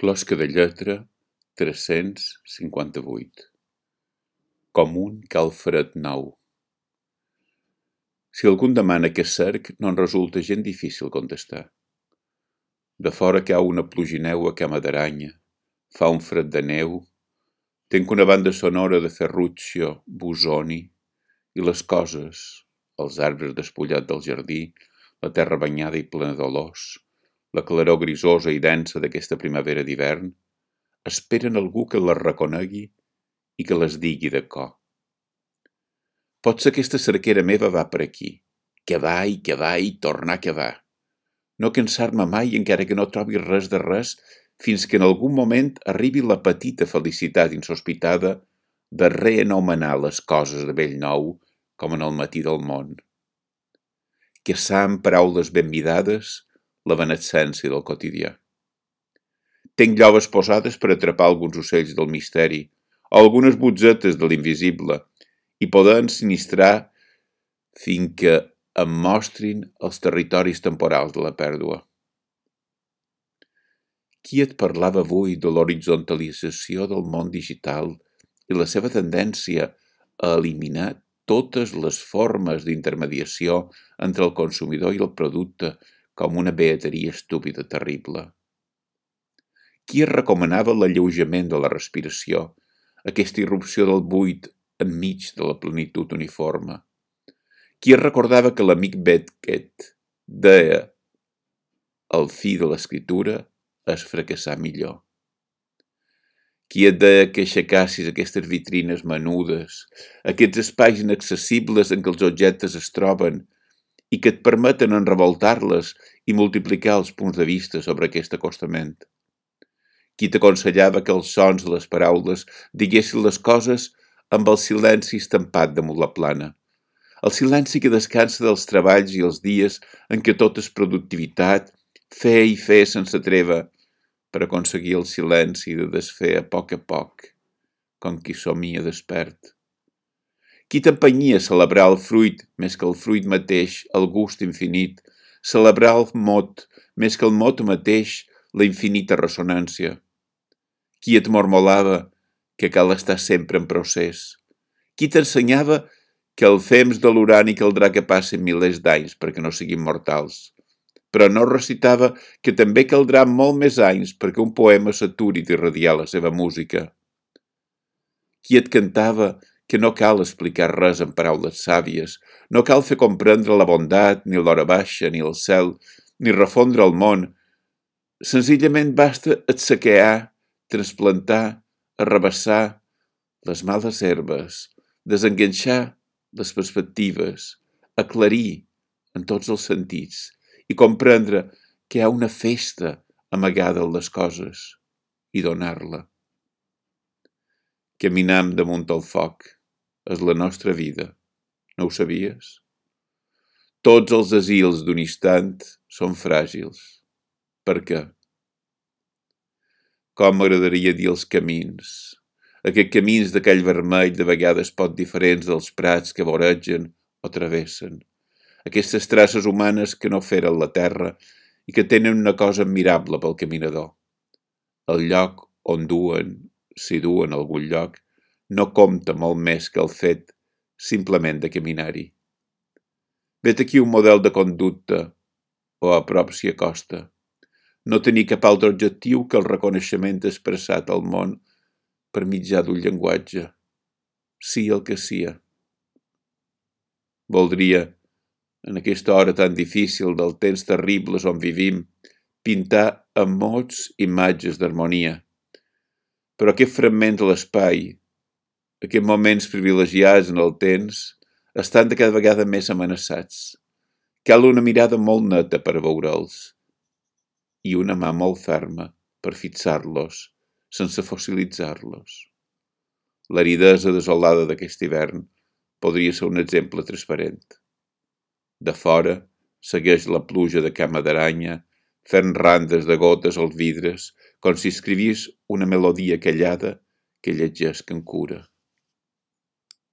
Closca de lletra 358. Com un calfred nou. Si algú em demana què és cerc, no en resulta gent difícil contestar. De fora cau una plugineu a cama d'aranya, fa un fred de neu, tenc una banda sonora de Ferruccio Busoni i les coses, els arbres despullats del jardí, la terra banyada i plena d'olors, la claror grisosa i densa d'aquesta primavera d'hivern, esperen algú que les reconegui i que les digui de cor. Potser aquesta cerquera meva va per aquí, que va i tornar que va. No cansar-me mai encara que no trobi res de res, fins que en algun moment arribi la petita felicitat insospitada de reanomenar les coses de bell nou com en el matí del món. Que sa amb paraules ben vidades la benescència del quotidià. Tenc lloves posades per atrapar alguns ocells del misteri o algunes butzetes de l'invisible i poder ensinistrar fins que em mostrin els territoris temporals de la pèrdua. Qui et parlava avui de l'horizontalització del món digital i la seva tendència a eliminar totes les formes d'intermediació entre el consumidor i el producte com una beateria estúpida terrible? Qui es recomanava l'alleujament de la respiració, aquesta irrupció del buit enmig de la plenitud uniforme? Qui es recordava que l'amic Beckett deia el fi de l'escriptura és fracassar millor? Qui et deia que aixecassis aquestes vitrines menudes, aquests espais inaccessibles en què els objectes es troben i que et permeten enrevoltar-les i multiplicar els punts de vista sobre aquest acostament? Qui t'aconsellava que els sons de les paraules diguessin les coses amb el silenci estampat damunt la plana? El silenci que descansa dels treballs i els dies en què tot és productivitat, fer i fer sense treva, per aconseguir el silenci de desfer a poc, com qui somia despert. Qui t'empenyia a celebrar el fruit més que el fruit mateix, el gust infinit, celebrar el mot més que el mot mateix, la infinita ressonància? Qui et mormolava que cal estar sempre en procés? Qui t'ensenyava que el fems de l'urani caldrà que passin milers d'anys perquè no siguin mortals, però no recitava que també caldrà molt més anys perquè un poema s'aturi d'irradiar la seva música? Qui et cantava que no cal explicar res en paraules sàvies, no cal fer comprendre la bondat, ni l'hora baixa, ni el cel, ni refondre el món, senzillament basta etsequear, transplantar, arrabassar les males herbes, desenganxar les perspectives, aclarir en tots els sentits i comprendre que hi ha una festa amagada en les coses i donar-la. Caminam damunt el foc és la nostra vida, no ho sabies? Tots els asils d'un instant són fràgils. Per què? Com m'agradaria dir els camins, aquests camins d'aquell vermell de vegades poc diferents dels prats que voregen o travessen, aquestes traces humanes que no feren la terra i que tenen una cosa admirable pel caminador. El lloc on duen, si duen a algun lloc, no compta molt més que el fet simplement de caminar-hi. Vet aquí un model de conducta, o a prop s'hi acosta. No tenir cap altre objectiu que el reconeixement expressat al món per mitjà d'un llenguatge, sia el que sia. Voldria, en aquesta hora tan difícil del temps terribles on vivim, pintar amb mots imatges d'harmonia. Però aquest fragment de l'espai, aquests moments privilegiats en el temps, estan de cada vegada més amenaçats. Cal una mirada molt neta per veure'ls i una mà molt ferma per fixar-los sense fossilitzar-los. L'aridesa desolada d'aquest hivern podria ser un exemple transparent. De fora segueix la pluja de cama d'aranya, fent randes de gotes als vidres, com si escrivís una melodia callada que llegeix amb cura.